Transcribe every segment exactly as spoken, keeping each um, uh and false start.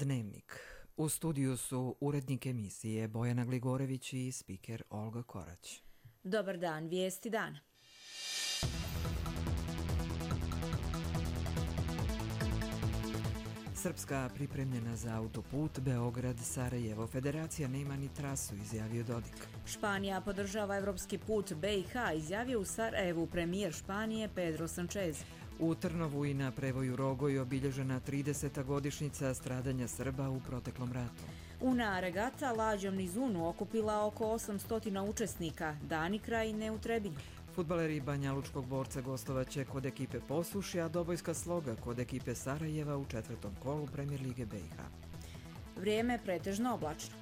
Dnevnik. U studiju su urednik emisije Bojana Gligorević i spiker Olga Korać. Dobar dan, vijesti dana. Srpska pripremljena za autoput Beograd-Sarajevo. Federacija nema ni trasu, izjavio Dodik. Španija podržava evropski put B i H, izjavio u Sarajevu premijer Španije Pedro Sanchez. U Trnovu i na prevoju Rogoj obilježena trideseta godišnjica stradanja Srba u proteklom ratu. Una regata lađom niz Unu okupila oko osamsto učesnika, dani kraj ne u Trebinju. Fudbaleri Banjalučkog Borca gostovaće kod ekipe Posušja, a Dobojska Sloga kod ekipe Sarajeva u četvrtom kolu Premijer lige B i H. Vrijeme pretežno oblačno.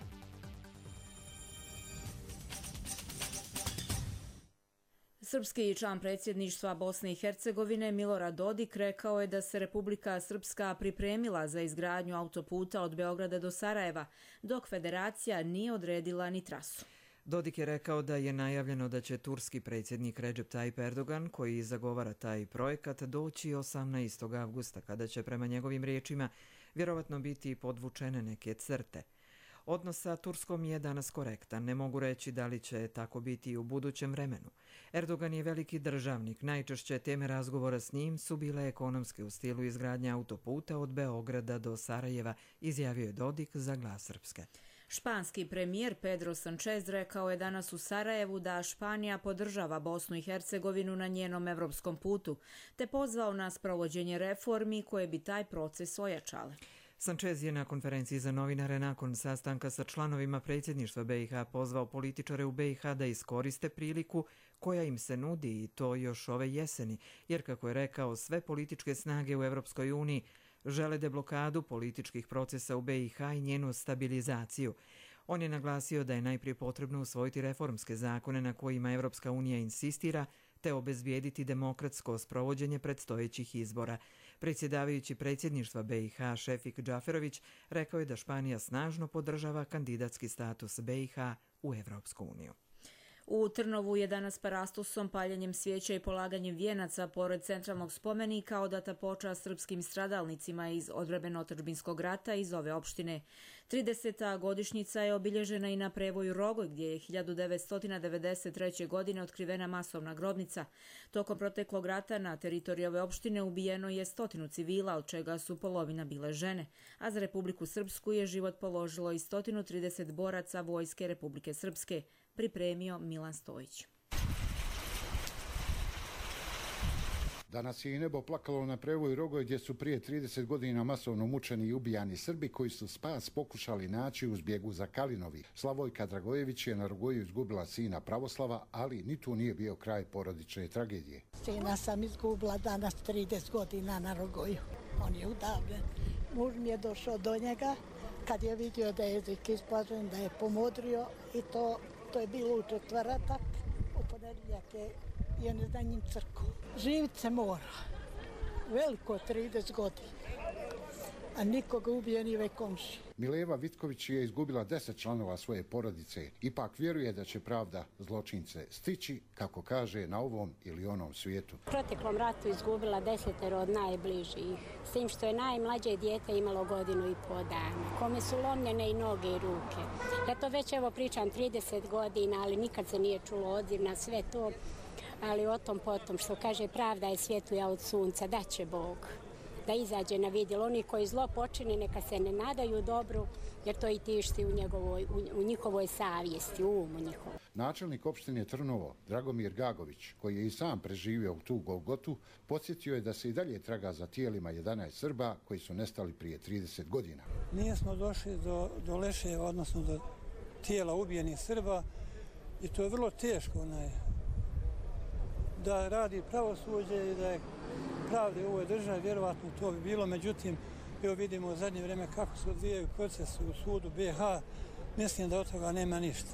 Srpski član predsjedništva Bosne i Hercegovine Milorad Dodik rekao je da se Republika Srpska pripremila za izgradnju autoputa od Beograda do Sarajeva, dok federacija nije odredila ni trasu. Dodik je rekao da je najavljeno da će turski predsjednik Recep Tayyip Erdogan, koji zagovara taj projekat, doći osamnaestog avgusta, kada će prema njegovim riječima vjerovatno biti podvučene neke crte. Odnos sa Turskom je danas korektan, ne mogu reći da li će tako biti i u budućem vremenu. Erdogan je veliki državnik, najčešće teme razgovora s njim su bile ekonomske u stilu izgradnja autoputa od Beograda do Sarajeva, izjavio je Dodik za Glas Srpske. Španski premijer Pedro Sanchez rekao je danas u Sarajevu da Španija podržava Bosnu i Hercegovinu na njenom evropskom putu, te pozvao na sprovođenje reformi koje bi taj proces ojačale. Sanchez je na konferenciji za novinare nakon sastanka sa članovima predsjedništva B i H pozvao političare u B i H da iskoriste priliku koja im se nudi i to još ove jeseni, jer kako je rekao, sve političke snage u Evropskoj uniji žele deblokadu političkih procesa u B i H i njenu stabilizaciju. On je naglasio da je najprije potrebno usvojiti reformske zakone na kojima Evropska unija insistira, te obezbijediti demokratsko sprovođenje predstojećih izbora. Predsjedavajući predsjedništva B i H Šefik Džaferović rekao je da Španija snažno podržava kandidatski status B i H u Evropsku uniju. U Trnovu je danas parastosom, paljenjem svijeća i polaganjem vijenaca pored centralnog spomenika odata počast srpskim stradalnicima iz odbrambeno-otadžbinskog rata iz ove opštine. trideseta godišnjica je obilježena i na prevoju Rogoj, gdje je hiljadu devetsto devedeset treće. godine otkrivena masovna grobnica. Tokom proteklog rata na teritoriji ove opštine ubijeno je stotinu civila, od čega su polovina bile žene, a za Republiku Srpsku je život položilo i sto trideset boraca Vojske Republike Srpske, pripremio Milan Stojić. Danas je i nebo plakalo na prevoju Rogoj, gdje su prije trideset godina masovno mučeni i ubijani Srbi koji su spas pokušali naći u zbjegu za Kalinovi. Slavojka Dragojević je na Rogoju izgubila sina Pravoslava, ali ni tu nije bio kraj porodične tragedije. Sina sam izgubila danas trideset godina na Rogoju. On je udavljen. Muž mi je došao do njega kad je vidio da je jezik isplažen, da je pomodrio i to To je bilo u četvrtak, u ponedjeljak je i on je za njim crkvu. Živit se mora. Veliko trideset godina. A nikoga ubije ni ve komši. Mileva Vitković je izgubila deset članova svoje porodice. Ipak vjeruje da će pravda zločince stići, kako kaže, na ovom ili onom svijetu. U proteklom ratu izgubila desetero od najbližih. S tim što je najmlađe dijete imalo godinu i pol dana. Kome su lomljene i noge i ruke. Ja to već evo pričam trideset godina, ali nikad se nije čulo odziv na sve to. Ali o tom potom, što kaže, pravda je svjetluja od sunca, da će Bog da izađe na vidjelo. Oni koji zlo počine neka se ne nadaju dobru, jer to i tišti u, njegovoj, u, u njihovoj savjesti, u umu njihovom. Načelnik opštine Trnovo, Dragomir Gagović, koji je i sam preživio u tu Golgotu, podsjetio je da se i dalje traga za tijelima jedanaest Srba koji su nestali prije trideset godina. Nismo došli do, do leševa, odnosno do tijela ubijenih Srba, i to je vrlo teško onaj, da radi pravosuđe i da je pravde u ovoj državi, vjerovatno to bi bilo, međutim, evo vidimo u zadnje vrijeme kako se odvijaju procesi u sudu B i H, mislim da od toga nema ništa.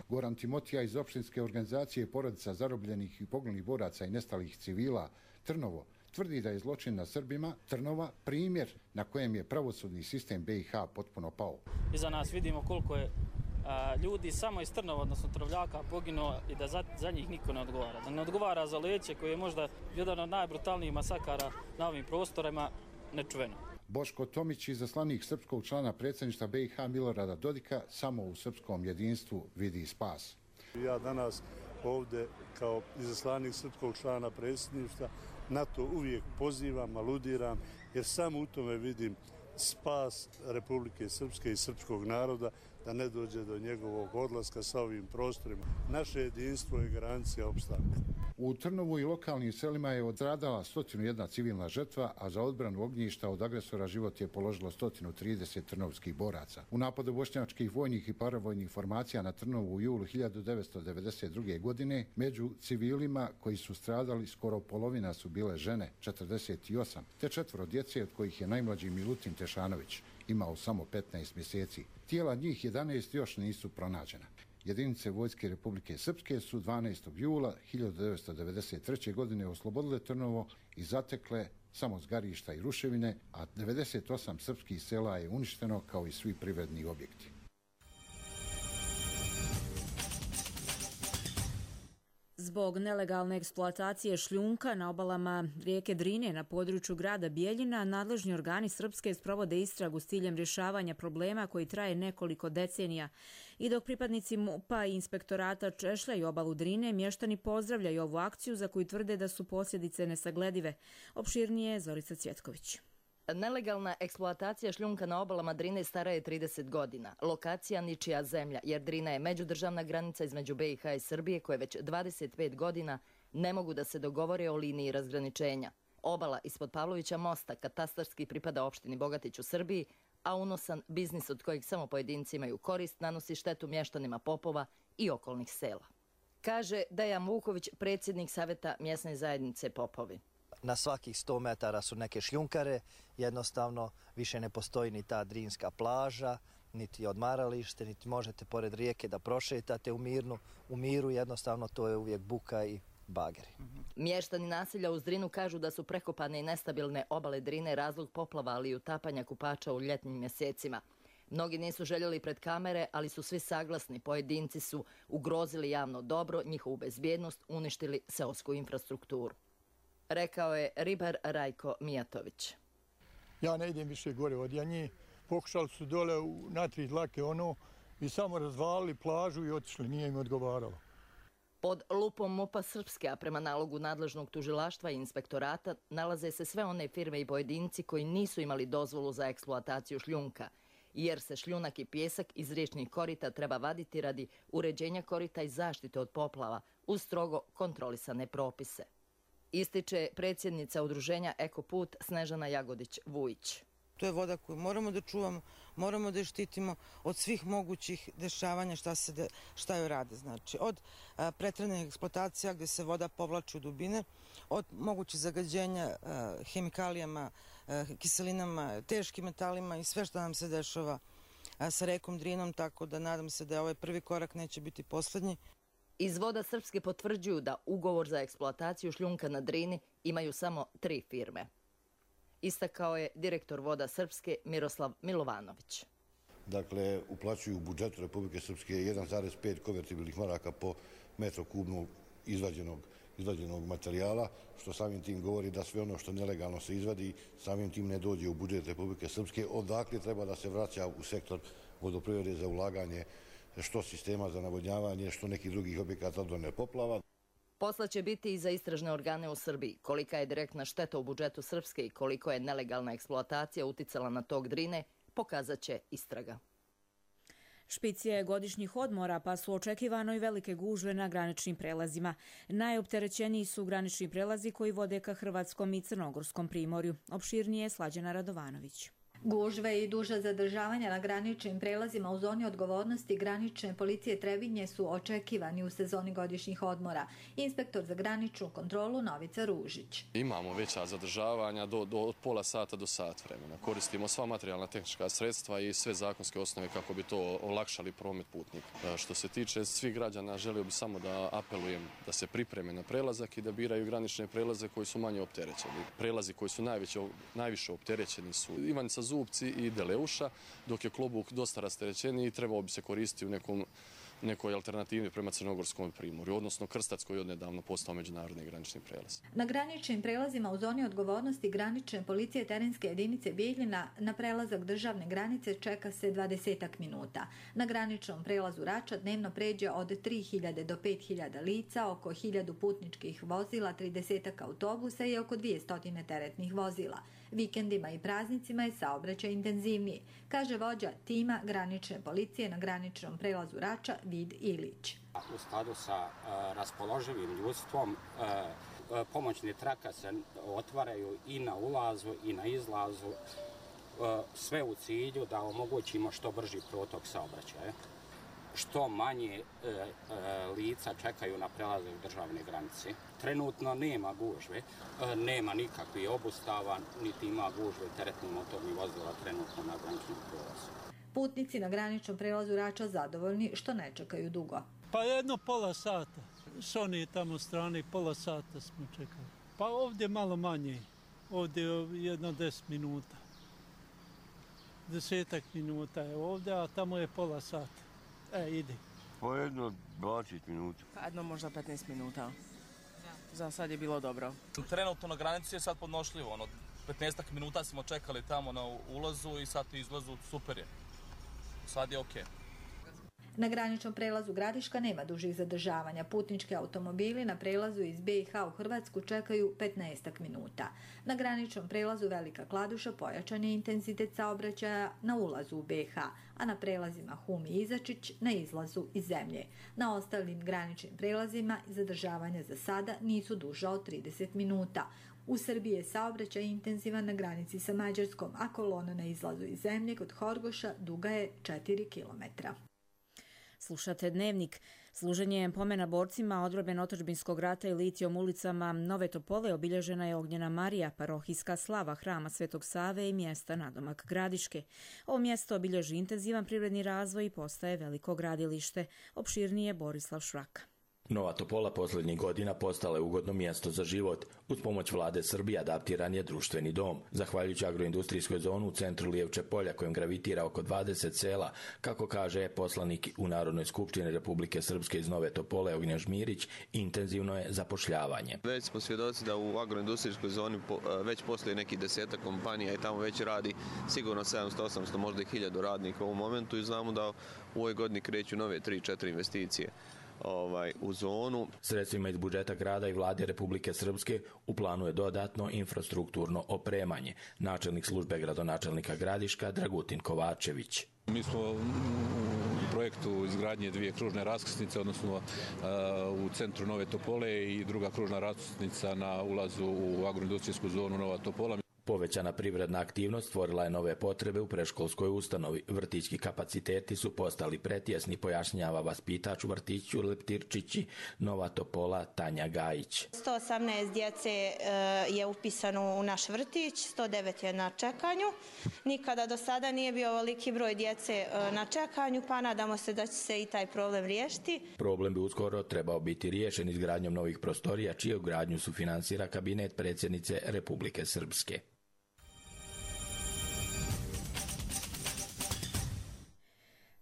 Goran Timotija iz opštinske organizacije porodica zarobljenih i poginulih boraca i nestalih civila Trnovo tvrdi da je zločin na Srbima Trnova primjer na kojem je pravosudni sistem B i H potpuno pao. Iza nas vidimo koliko je a, ljudi samo iz Trnova, odnosno Travljaka, poginuo i da za, za njih niko ne odgovara. Da ne odgovara za Leće, koji je možda jedan od najbrutalnijih masakara na ovim prostorima, nečuveno. Boško Tomić, izaslanik srpskog člana predsjedništva B i H Milorada Dodika, samo u srpskom jedinstvu vidi spas. Ja danas ovdje kao izaslanik srpskog člana predsjedništva na to uvijek pozivam, aludiram, jer samo u tome vidim spas Republike Srpske i srpskog naroda, da ne dođe do njegovog odlaska sa ovim prostorima. Naše jedinstvo je garancija opstanka. U Trnovu i lokalnim selima je odstradala sto jedna civilna žrtva, a za odbranu ognjišta od agresora život je položilo sto trideset trnovskih boraca. U napadu bošnjačkih vojnih i paravojnih formacija na Trnovu u julu hiljadu devetsto devedeset druge. godine među civilima koji su stradali skoro polovina su bile žene, četrdeset osam, te četvoro djece, od kojih je najmlađi Milutin Tešanović imao samo petnaest mjeseci. Tijela njih jedanaest još nisu pronađena. Jedinice Vojske Republike Srpske su dvanaestog jula hiljadu devetsto devedeset treće. godine oslobodile Trnovo i zatekle samo zgarišta i ruševine, a devedeset osam srpskih sela je uništeno kao i svi privredni objekti. Zbog nelegalne eksploatacije šljunka na obalama rijeke Drine na području grada Bijeljina, nadležni organi Srpske sprovode istragu s ciljem rješavanja problema koji traje nekoliko decenija. I dok pripadnici MUP-a i inspektorata češljaju obalu Drine, mještani pozdravljaju ovu akciju za koju tvrde da su posljedice nesagledive. Opširnije Zorica Cvjetković. Nelegalna eksploatacija šljunka na obalama Drine stara je trideset godina. Lokacija ničija zemlja, jer Drina je međudržavna granica između B i H i Srbije koje već dvadeset pet godina ne mogu da se dogovore o liniji razgraničenja. Obala ispod Pavlovića mosta katastarski pripada opštini Bogatić u Srbiji, a unosan biznis od kojeg samo pojedinci imaju korist nanosi štetu mještanima Popova i okolnih sela. Kaže Dejan Vuković, predsjednik Saveta mjesne zajednice Popovi. Na svakih sto metara su neke šljunkare, jednostavno više ne postoji ni ta drinska plaža, niti odmaralište, niti možete pored rijeke da prošetate u mirnu. U miru jednostavno to je uvijek buka i bageri. Mještani naselja uz Drinu kažu da su prekopane i nestabilne obale Drine razlog poplava, ali i utapanja kupača u ljetnim mjesecima. Mnogi nisu željeli pred kamere, ali su svi saglasni. Pojedinci su ugrozili javno dobro, njihovu bezbjednost, uništili seosku infrastrukturu. Rekao je ribar Rajko Mijatović. Ja ne idem više gore od Janje. Pokušali su dole u natri dlake ono i samo razvalili plažu i otišli. Nije im odgovaralo. Pod lupom MUP-a Srpske, a prema nalogu nadležnog tužilaštva i inspektorata, nalaze se sve one firme i pojedinci koji nisu imali dozvolu za eksploataciju šljunka, jer se šljunak i pjesak iz riječnih korita treba vaditi radi uređenja korita i zaštite od poplava uz strogo kontrolisane propise. Ističe predsjednica udruženja Ekoput Snežana Jagodić-Vujić. To je voda koju moramo da čuvamo, moramo da je štitimo od svih mogućih dešavanja šta, se de, šta joj rade. Znači, od a, preteranih eksploatacija gdje se voda povlači u dubine, od mogućih zagađenja a, hemikalijama, a, kiselinama, teškim metalima i sve što nam se dešava a, sa rekom Drinom, tako da nadam se da ovaj prvi korak neće biti posljednji. Iz Voda Srpske potvrđuju da ugovor za eksploataciju šljunka na Drini imaju samo tri firme. Istakao je direktor Voda Srpske Miroslav Milovanović. Dakle, uplaćuju u budžetu Republike Srpske jedan zarez pet konvertibilnih maraka po metru kubnog izvađenog, izvađenog materijala, što samim tim govori da sve ono što nelegalno se izvadi, samim tim ne dođe u budžet Republike Srpske, odakle treba da se vraća u sektor vodoprivrede za ulaganje što sistema za navodnjavanje, što nekih drugih objekata odbrane poplava. Posla će biti i za istražne organe u Srbiji. Kolika je direktna šteta u budžetu Srpske i koliko je nelegalna eksploatacija uticala na tok Drine, pokazat će istraga. Špic je godišnjih odmora, pa su očekivano i velike gužve na graničnim prelazima. Najopterećeniji su granični prelazi koji vode ka Hrvatskom i Crnogorskom primorju. Opširnije Slađana Radovanović. Gužve i duža zadržavanja na graničnim prelazima u zoni odgovornosti granične policije Trebinje su očekivani u sezoni godišnjih odmora. Inspektor za graničnu kontrolu Novica Ružić. Imamo veća zadržavanja do, do, od pola sata do sat vremena. Koristimo sva materijalna tehnička sredstva i sve zakonske osnove kako bi to olakšali promet putnika. Što se tiče svih građana, želio bi samo da apelujem da se pripreme na prelazak i da biraju granične prelaze koji su manje opterećeni. Prelazi koji su najveće, najviše opterećeni su Ivanica Zubci i Deleuša, dok je Klobuk dosta rasterećeniji i trebao bi se koristiti u nekom nekoj alternativi prema Crnogorskom primorju, odnosno Krstac koji je odnedavno postao međunarodni granični prelaz. Na graničnim prelazima u zoni odgovornosti granične policije terenske jedinice Bijeljina na prelazak državne granice čeka se dvadesetak minuta. Na graničnom prelazu Rača dnevno pređe od tri hiljade do pet hiljada lica, oko hiljadu putničkih vozila, tridesetak autobusa i oko dvije stotine teretnih vozila. Vikendima i praznicima je saobraćaj intenzivniji, kaže vođa tima granične policije na graničnom prelazu Rača Vid Ilić. U skladu sa uh, raspoloživim ljudstvom uh, pomoćne trake se otvaraju i na ulazu i na izlazu, uh, sve u cilju da omogućimo što brži protok saobraćaja. Što manje e, e, lica čekaju na prelazak državne granice. Trenutno nema gužve, e, nema nikakvih obustava, niti ima gužve teretnih motornih vozila trenutno na graničnom prelazu. Putnici na graničnom prelazu Rača zadovoljni što ne čekaju dugo. Pa jedno pola sata. S one tamo strane pola sata smo čekali. Pa ovdje malo manje. Ovdje jedno deset minuta. Desetak minuta je ovdje, a tamo je pola sata. E, ide. Po jedno dvadeset minuta. Pa jedno možda petnaest minuta. Za sad je bilo dobro. Trenutno na granici je sad podnošljivo. Ono, petnaestak minuta smo čekali tamo na ulazu i sad izlazu, super je. Sad je okej. Na graničnom prelazu Gradiška nema dužih zadržavanja. Putnički automobili na prelazu iz B i H u Hrvatsku čekaju petnaestak minuta. Na graničnom prelazu Velika Kladuša pojačan je intenzitet saobraćaja na ulazu u B i H, a na prelazima Hum i Izačić na izlazu iz zemlje. Na ostalim graničnim prelazima zadržavanja za sada nisu duža od trideset minuta. U Srbiji je saobraćaj intenzivan na granici sa Mađarskom, a kolona na izlazu iz zemlje kod Horgoša duga je četiri kilometra. Slušate Dnevnik. Služenje pomena borcima odbrane otadžbinskog rata i litijom ulicama Nove Topole obilježena je Ognjena Marija, parohijska slava hrama Svetog Save i mjesta nadomak Gradiške. Ovo mjesto obilježi intenzivan privredni razvoj i postaje veliko gradilište. Opširnije Borislav Švraka. Nova Topola posljednjih godina postala je ugodno mjesto za život. Uz pomoć vlade Srbije adaptiran je društveni dom. Zahvaljujući agroindustrijskoj zonu u centru Lijevče polja kojem gravitira oko dvadeset sela, kako kaže poslanik u Narodnoj skupštini Republike Srpske iz Nove Topole Ognjen Žmirić, intenzivno je zapošljavanje. Već smo svjedoci da u agroindustrijskoj zoni već postoji neki desetak kompanija i tamo već radi sigurno sedamsto osamsto, možda i hiljadu radnika u ovom momentu i znamo da u ovoj godini kreću nove tri četiri investicije. Ovaj, u zonu. Sredstvima iz budžeta grada i vlade Republike Srpske u planu je dodatno infrastrukturno opremanje. Načelnik službe gradonačelnika Gradiška Dragutin Kovačević. Mi smo u projektu izgradnje dvije kružne raskrsnice, odnosno uh, u centru Nove Topole i druga kružna raskrsnica na ulazu u agroindustrijsku zonu Nova Topola. Povećana privredna aktivnost stvorila je nove potrebe u predškolskoj ustanovi. Vrtićki kapaciteti su postali pretjesni, pojašnjava vaspitač u vrtiću Leptirčići Nova Topola Tanja Gajić. sto osamnaest djece je upisano u naš vrtić, sto devet je na čekanju. Nikada do sada nije bio ovoliki broj djece na čekanju, pa nadamo se da će se i taj problem riješiti. Problem bi uskoro trebao biti riješen izgradnjom novih prostorija, čiju gradnju sufinansira kabinet predsjednice Republike Srpske.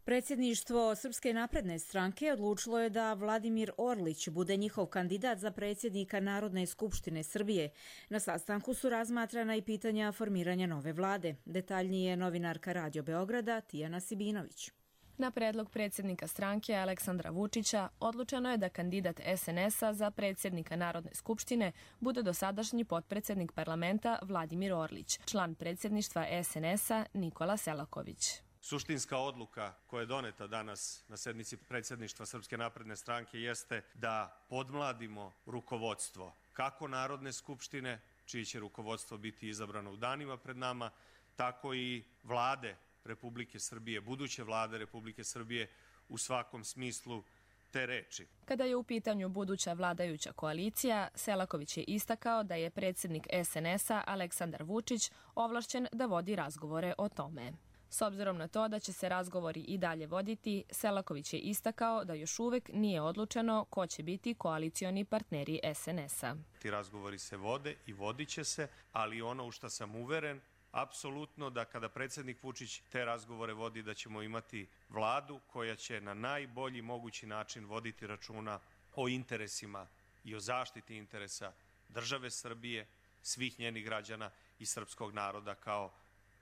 Predsjedništvo Srpske napredne stranke odlučilo je da Vladimir Orlić bude njihov kandidat za predsjednika Narodne skupštine Srbije. Na sastanku su razmatrana i pitanja formiranja nove vlade. Detaljnije novinarka Radio Beograda Tijana Sibinović. Na predlog predsjednika stranke Aleksandra Vučića odlučeno je da kandidat S N S-a za predsjednika Narodne skupštine bude dosadašnji potpredsjednik parlamenta Vladimir Orlić, član predsjedništva S N S-a Nikola Selaković. Suštinska odluka koja je doneta danas na sednici predsjedništva Srpske napredne stranke jeste da podmladimo rukovodstvo kako Narodne skupštine, čiji će rukovodstvo biti izabrano u danima pred nama, tako i vlade Republike Srbije, buduće vlade Republike Srbije u svakom smislu te reči. Kada je u pitanju buduća vladajuća koalicija, Selaković je istakao da je predsjednik S N S-a Aleksandar Vučić ovlašćen da vodi razgovore o tome. S obzirom na to da će se razgovori i dalje voditi, Selaković je istakao da još uvek nije odlučeno ko će biti koalicioni partneri S N S-a. Ti razgovori se vode i vodit će se, ali ono u što sam uveren apsolutno da kada predsjednik Vučić te razgovore vodi, da ćemo imati vladu koja će na najbolji mogući način voditi računa o interesima i o zaštiti interesa države Srbije, svih njenih građana i srpskog naroda kao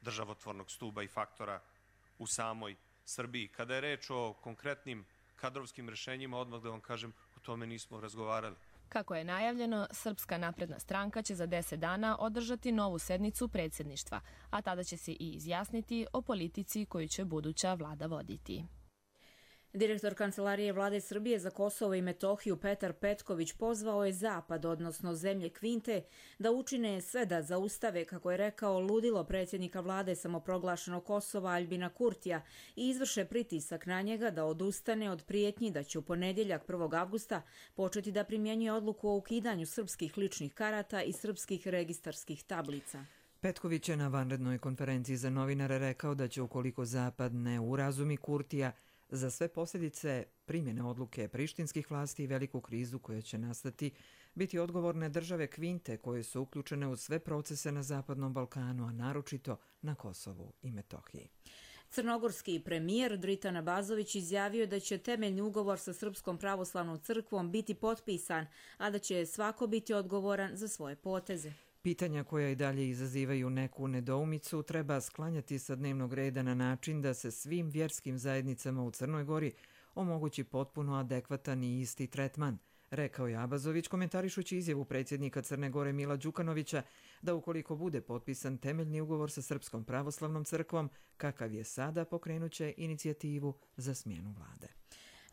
državotvornog stuba i faktora u samoj Srbiji. Kada je reč o konkretnim kadrovskim rešenjima, odmah da vam kažem, o tome nismo razgovarali. Kako je najavljeno, Srpska napredna stranka će za deset dana održati novu sednicu predsjedništva, a tada će se i izjasniti o politici koju će buduća vlada voditi. Direktor Kancelarije Vlade Srbije za Kosovo i Metohiju Petar Petković pozvao je Zapad, odnosno zemlje Kvinte, da učine sve da zaustave, kako je rekao, ludilo predsjednika vlade samoproglašenog Kosova Aljbina Kurtija i izvrše pritisak na njega da odustane od prijetnji da će u ponedjeljak prvog avgusta početi da primjenjuje odluku o ukidanju srpskih ličnih karata i srpskih registarskih tablica. Petković je na vanrednoj konferenciji za novinare rekao da će, ukoliko Zapad ne urazumi Kurtija, za sve posljedice primjene odluke prištinskih vlasti i veliku krizu koja će nastati, biti odgovorne države Kvinte koje su uključene u sve procese na Zapadnom Balkanu, a naročito na Kosovu i Metohiji. Crnogorski premijer Dritan Abazović izjavio da će temeljni ugovor sa Srpskom pravoslavnom crkvom biti potpisan, a da će svako biti odgovoran za svoje poteze. Pitanja koja i dalje izazivaju neku nedoumicu treba sklanjati sa dnevnog reda na način da se svim vjerskim zajednicama u Crnoj Gori omogući potpuno adekvatan i isti tretman, rekao je Abazović komentarišući izjavu predsjednika Crne Gore Mila Đukanovića da ukoliko bude potpisan temeljni ugovor sa Srpskom pravoslavnom crkvom, kakav je sada, pokrenuće inicijativu za smjenu vlade.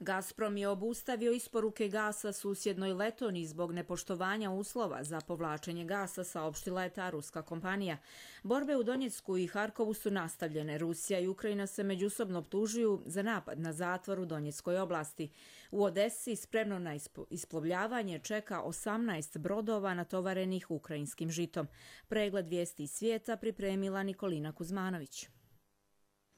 Gazprom je obustavio isporuke gasa susjednoj Letoniji zbog nepoštovanja uslova za povlačenje gasa, saopštila je ta ruska kompanija. Borbe u Donjecku i Harkovu su nastavljene. Rusija i Ukrajina se međusobno optužuju za napad na zatvor u Donjeckoj oblasti. U Odesi spremno na isplovljavanje čeka osamnaest brodova natovarenih ukrajinskim žitom. Pregled vijesti iz svijeta pripremila Nikolina Kuzmanović.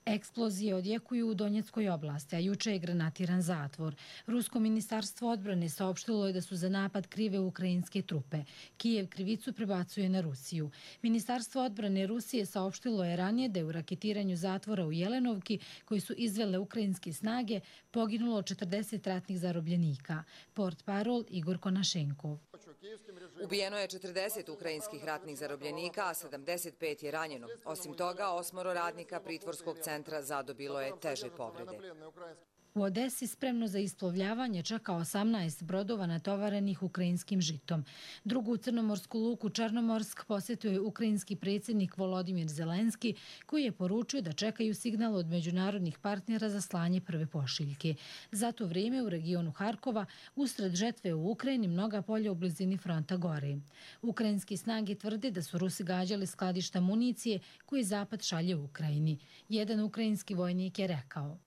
Eksplozije odjekuju u Donjeckoj oblasti, a juče je granatiran zatvor. Rusko ministarstvo odbrane saopštilo je da su za napad krive ukrajinske trupe. Kijev krivicu prebacuje na Rusiju. Ministarstvo odbrane Rusije saopštilo je ranije da je u raketiranju zatvora u Jelenovki, koji su izvele ukrajinske snage, poginulo četrdeset ratnih zarobljenika. Portparol Igor Konašenkov. Ubijeno je četrdeset ukrajinskih ratnih zarobljenika, a sedamdeset pet je ranjeno. Osim toga, osmoro radnika pritvorskog centra zadobilo je teže povrede. U Odesi spremno za isplovljavanje čeka osamnaest brodova natovarenih ukrajinskim žitom. Drugu crnomorsku luku Černomorsk posjetio je ukrajinski predsjednik Volodimir Zelenski, koji je poručio da čekaju signal od međunarodnih partnera za slanje prve pošiljke. Za to vrijeme u regionu Harkova, usred žetve u Ukrajini, mnoga polja u blizini fronta gore. Ukrajinski snage tvrde da su Rusi gađali skladišta municije koje Zapad šalje u Ukrajini. Jedan ukrajinski vojnik je rekao: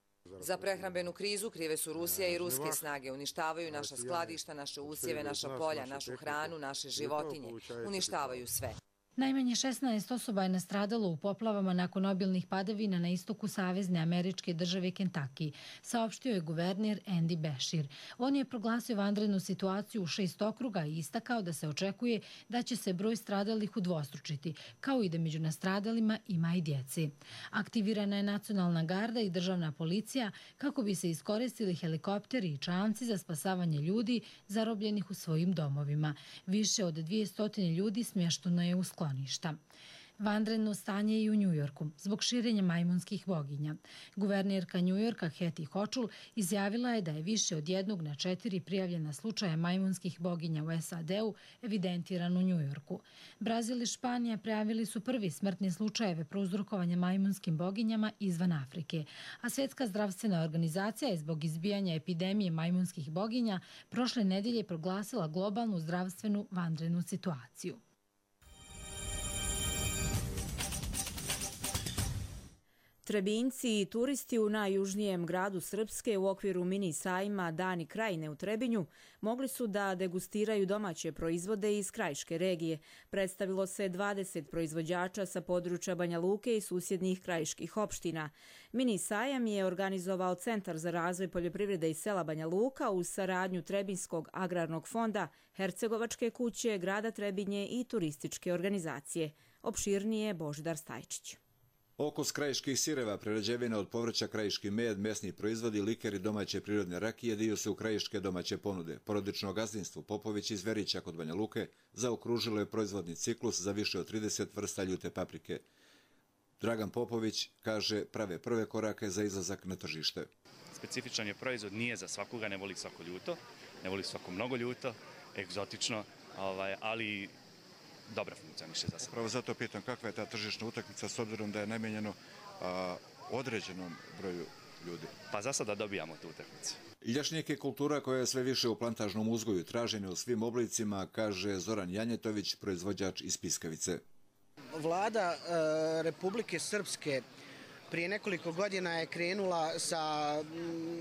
Za prehrambenu krizu krive su Rusija i ruske snage. Uništavaju naša skladišta, naše usjeve, naša polja, našu hranu, naše životinje. Uništavaju sve. Najmanje šesnaest osoba je nastradalo u poplavama nakon obilnih padavina na istoku savezne američke države Kentucky, saopštio je guverner Andy Beshear. On je proglasio vanrednu situaciju u šest okruga i istakao da se očekuje da će se broj stradalih udvostručiti, kao i da među nastradalima ima i djece. Aktivirana je nacionalna garda i državna policija kako bi se iskoristili helikopteri i čamci za spasavanje ljudi zarobljenih u svojim domovima. Više od dvjesto ljudi smješteno je u skloništa. Vanredno stanje je i u Njujorku zbog širenja majmunskih boginja. Guvernerka Njujorka Kathy Hochul izjavila je da je više od jednog na četiri prijavljena slučaja majmunskih boginja u S A D-u evidentiran u Njujorku. Brazil i Španija prijavili su prvi smrtni slučajeve prouzrokovanja majmunskim boginjama izvan Afrike, a Svjetska zdravstvena organizacija je zbog izbijanja epidemije majmunskih boginja prošle nedelje proglasila globalnu zdravstvenu vanrednu situaciju. Trebinjci i turisti u najjužnijem gradu Srpske u okviru mini sajma Dani Krajine u Trebinju mogli su da degustiraju domaće proizvode iz krajiške regije. Predstavilo se dvadeset proizvođača sa područja Banja Luke i susjednih krajiških opština. Mini sajam je organizovao Centar za razvoj poljoprivrede i sela Banja Luka uz saradnju Trebinjskog agrarnog fonda, Hercegovačke kuće, grada Trebinje i turističke organizacije. Opširnije Božidar Stajčić. Okus krajiških sireva, prerađevina od povrća, krajiški med, mesni proizvodi, likeri, domaće prirodne rakije dio su krajiške domaće ponude. Porodično gazdinstvo Popović iz Verića kod Banja Luke zaokružilo je proizvodni ciklus za više od trideset vrsta ljute paprike. Dragan Popović kaže prave prve korake za izlazak na tržište. Specifičan je proizvod, nije za svakoga, ne voli svako ljuto, ne voli svako mnogo ljuto, egzotično, ali dobro funkcioniše za sve. Pravo zato pitam kakva je ta tržišna utakmica s obzirom da je namijenjeno a, određenom broju ljudi. Pa za sada dobijamo tu utakmicu. Ljašnjak je kultura koja je sve više u plantažnom uzgoju, tražena u svim oblicima, kaže Zoran Janjetović, proizvođač iz Piskavice. Vlada e, Republike Srpske prije nekoliko godina je krenula sa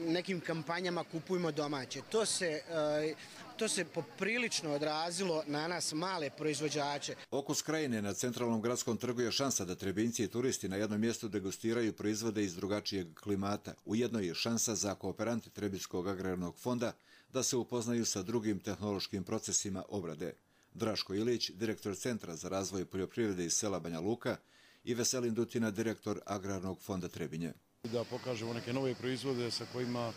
nekim kampanjama Kupujmo domaće. To se, e, to se poprilično odrazilo na nas male proizvođače. Okus krajine na centralnom gradskom trgu je šansa da Trebinjci i turisti na jednom mjestu degustiraju proizvode iz drugačijeg klimata. Ujedno je šansa za kooperante Trebinjskog agrarnog fonda da se upoznaju sa drugim tehnološkim procesima obrade. Draško Ilić, direktor Centra za razvoj poljoprivrede iz sela Banja Luka, i Veselin Dutina, direktor Agrarnog fonda Trebinje. Da pokažemo neke nove proizvode sa kojima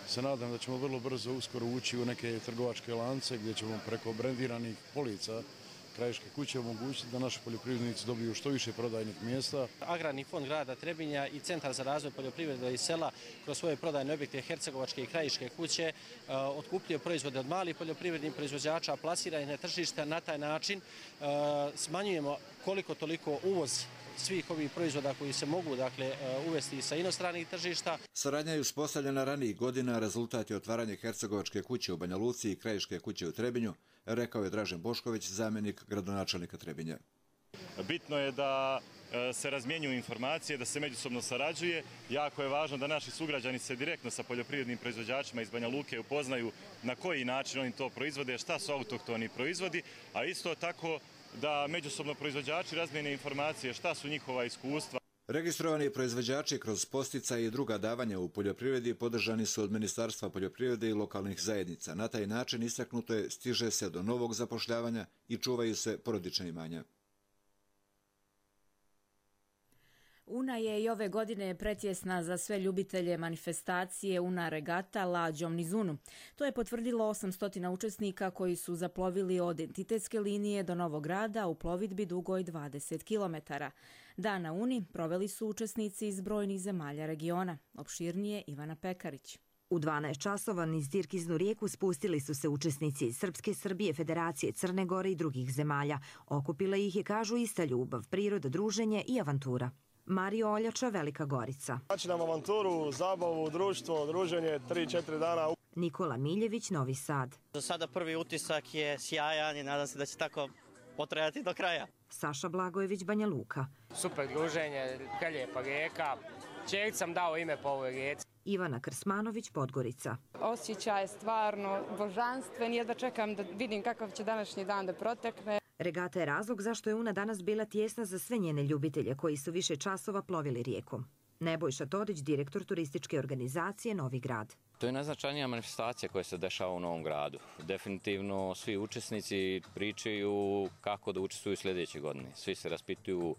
se nadam da ćemo vrlo brzo uskoro ući u neke trgovačke lance gdje ćemo preko brendiranih polica krajiške kuće omogućiti da naši poljoprivrednici dobiju što više prodajnih mjesta. Agrarni fond grada Trebinja i Centar za razvoj poljoprivrede iz sela kroz svoje prodajne objekte Hercegovačke i krajiške kuće uh, otkupljuje proizvode od malih poljoprivrednih proizvođača, plasira ih na tržište. Na taj način uh, smanjujemo koliko toliko uvoz svih ovih proizvoda koji se mogu dakle uvesti sa inostranih tržišta. Saradnja je uspostavljena ranijih godina, rezultat je otvaranje Hercegovačke kuće u Banja Luci i krajiške kuće u Trebinju, rekao je Dražen Bošković, zamjenik gradonačelnika Trebinja. Bitno je da se razmjenjuju informacije, da se međusobno sarađuje. Jako je važno da naši sugrađani se direktno sa poljoprivrednim proizvođačima iz Banja Luke upoznaju na koji način oni to proizvode, šta su autohtoni proizvodi, a isto tako da međusobno proizvođači razmijene informacije šta su njihova iskustva. Registrovani proizvođači kroz posticaje i druga davanja u poljoprivredi podržani su od Ministarstva poljoprivrede i lokalnih zajednica. Na taj način istaknuto je stiže se do novog zapošljavanja i čuvaju se porodična imanja. Una je i ove godine pretjesna za sve ljubitelje manifestacije Una regata lađom niz Unu. To je potvrdilo osamsto učesnika koji su zaplovili od entitetske linije do Novog Grada u plovidbi dugoj dvadeset kilometara. Dan na Uni proveli su učesnici iz brojnih zemalja regiona. Opširnije Ivana Pekarić. U dvanaest časova niz Dirkiznu rijeku spustili su se učesnici iz Srpske, Srbije, Federacije, Crne Gore i drugih zemalja. Okupila ih je, kažu, ista ljubav, priroda, druženje i avantura. Mario Oljača, Velika Gorica. Znači nam avanturu, zabavu, društvo, druženje, tri četiri dana. Nikola Miljević, Novi Sad. Za sada prvi utisak je sjajan i nadam se da će tako potrajati do kraja. Saša Blagojević, Banja Luka. Super druženje, lijepa rijeka. Čelik sam dao ime po ovoj rijeci. Ivana Krsmanović, Podgorica. Osjećaj je stvarno božanstven, jedva čekam da vidim kakav će današnji dan da protekne. Regata je razlog zašto je Una danas bila tijesna za sve njene ljubitelje koji su više časova plovili rijekom. Nebojša Todić, direktor turističke organizacije Novi Grad. To je najznačajnija manifestacija koja se dešava u Novom Gradu. Definitivno svi učesnici pričaju kako da učestvuju sljedeće godine. Svi se raspituju,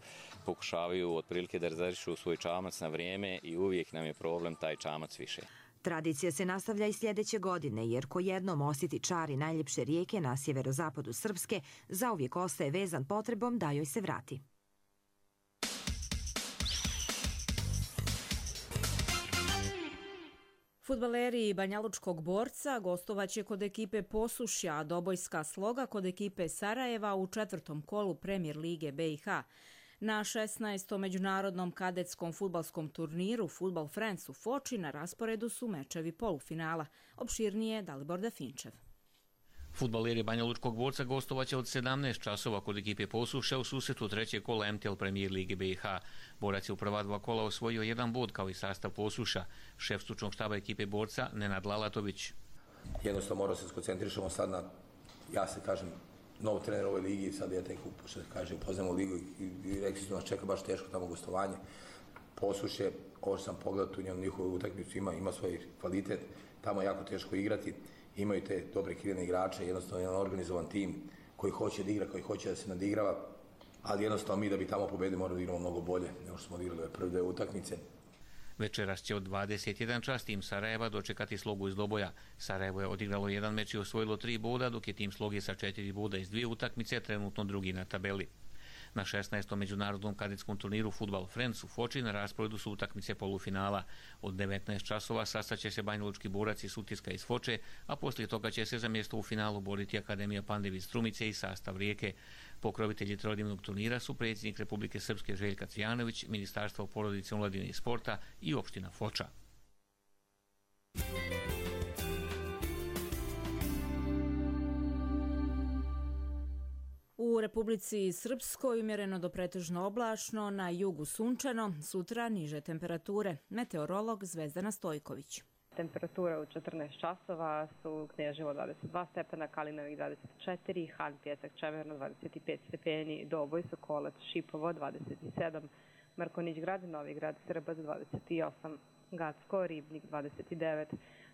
pokušavaju otprilike da rezervišu svoj čamac na vrijeme i uvijek nam je problem taj čamac više. Tradicija se nastavlja i sljedeće godine, jer ko jednom osjeti čari najljepše rijeke na sjeverozapadu Srpske, zauvijek ostaje vezan potrebom da joj se vrati. Fudbaleri Banjalučkog Borca gostovaće kod ekipe Posušja, a Dobojska Sloga kod ekipe Sarajeva u četvrtom kolu Premijer lige B i H. Na šesnaestom međunarodnom kadetskom fudbalskom turniru Football Friends u Foči na rasporedu su mečevi polufinala. Opširnije Dalibor Dafinčev. Fudbaleri Banjalučkog Borca gostovaće od sedamnaest časova kod ekipe Posušja u susretu trećeg kola M T L Premijer lige B i H. Borac je u prva dva kola osvojio jedan bod kao i sastav Posušja. Šef stručnog štaba ekipe Borca Nenad Lalatović. Jednostavno moramo se skoncentrišemo sad na, ja se kažem, novo trener u ovoj ligi, sad ja tek što se kaže, poznamo ligu i rekli su nas čeka baš teško tamo gostovanje. Posušje, ovo što sam pogledao tu njihovu utakmicu, ima, ima svoj kvalitet, tamo je jako teško igrati, imaju te dobre krivene igrače, jednostavno jedan organizovan tim koji hoće da igra, koji hoće da se nadigrava. ali jednostavno mi da bi tamo pobedili moramo da igramo mnogo bolje nego što smo odigrali ove prve dve utakmice. Večeras će od dvadeset jedan čas tim Sarajeva dočekati Slogu iz Doboja. Sarajevo je odigralo jedan meč i osvojilo tri boda, dok je tim Sloge sa četiri boda iz dvije utakmice trenutno drugi na tabeli. Na šesnaestom međunarodnom kadetskom turniru Fudbal Friends u Foči na rasporedu su utakmice polufinala. Od devetnaest časova sastaće se banjalučki borac iz Sutiska iz Foče, a poslije toga će se za mjesto u finalu boriti Akademija Pandev iz Strumice i sastav Rijeke. Pokrovitelji trodnevnog turnira su predsjednik Republike Srpske Željka Cvijanović, Ministarstvo porodice, omladine i sporta i opština Foča. U Republici Srpskoj umjereno do pretežno oblačno, na jugu sunčano, sutra niže temperature. Meteorolog Zvezdana Stojković. Temperatura u četrnaest časova su Knježevo dvadeset dva stepena, Kalinović dvadeset četiri, Han, Pjesak, Čemerno dvadeset pet stepeni, Doboj, Sokolac, Šipovo dvadeset sedam, Markonić grad, Novi grad, Srbac dvadeset osam, Gacko, Ribnik dvadeset devet,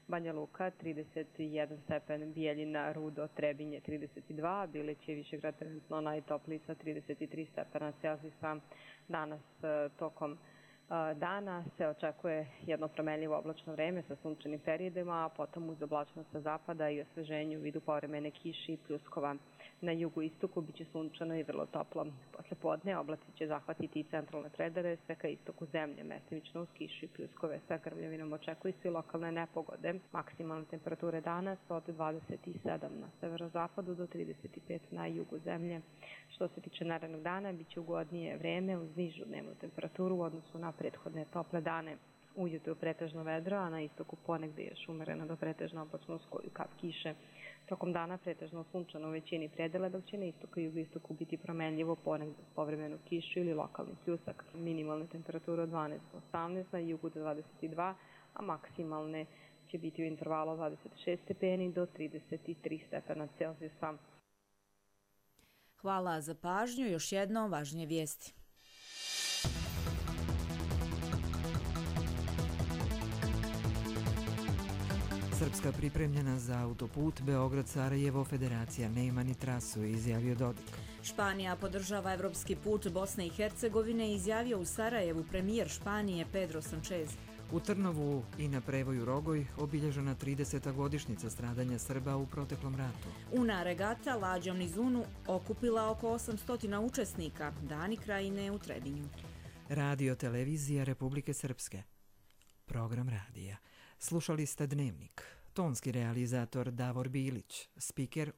Banja Luka trideset jedan stepen, Bijeljina, Rudo, Trebinje trideset dva, Bilić je Višegrad trenutno najtopliji sa trideset tri stepena Celzijusa. Danas tokom dana se očekuje jedno promenljivo oblačno vreme sa sunčanim periodima, a potom uz oblačnost sa zapada i osveženju u vidu povremene kiše i pljuskova. Na jugu istoku biće sunčano i vrlo toplo. Posle podne oblaci će zahvatiti i centralne predele, sve ka istoku zemlje, mestimično uz kišu i pljuskove. Sa grmljavinom očekuju se i lokalne nepogode. Maksimalne temperature danas od dvadeset sedam na severozapadu do trideset pet na jugu zemlje. Što se tiče narednog dana, biće ugodnije vreme uz nižu dnevnu temperaturu u odnosu na prethodne tople dane. Ujutro pretežno vedro, a na istoku ponegde još umereno do pretežno oblačno uz koju kap kiše. Tokom dana pretežno sunčano u većini predela, dok će na istoku i jugoistoku biti promenljivo ponegde s povremenu kišu ili lokalni pljusak. Minimalne temperature od dvanaest do osamnaest, na jugu do dvadeset dva, a maksimalne će biti u intervalu dvadeset šest stepeni do trideset tri stepena Celzijusa. Hvala za pažnju. Još jedno važnije vijesti. Srpska pripremljena za autoput Beograd-Sarajevo, federacija nema ni trasu, izjavio Dodik. Španija podržava evropski put Bosne i Hercegovine, izjavio u Sarajevu premijer Španije Pedro Sanchez. U Trnovu i na Prevoju Rogoj obilježena trideseta godišnjica stradanja Srba u proteklom ratu. Una regata lađom niz Unu okupila oko osamsto učesnika, Dani Krajine u Trebinju. Radio televizija Republike Srpske. Program radija. Slušali ste Dnevnik. Tonski realizator Davor Bilić, spiker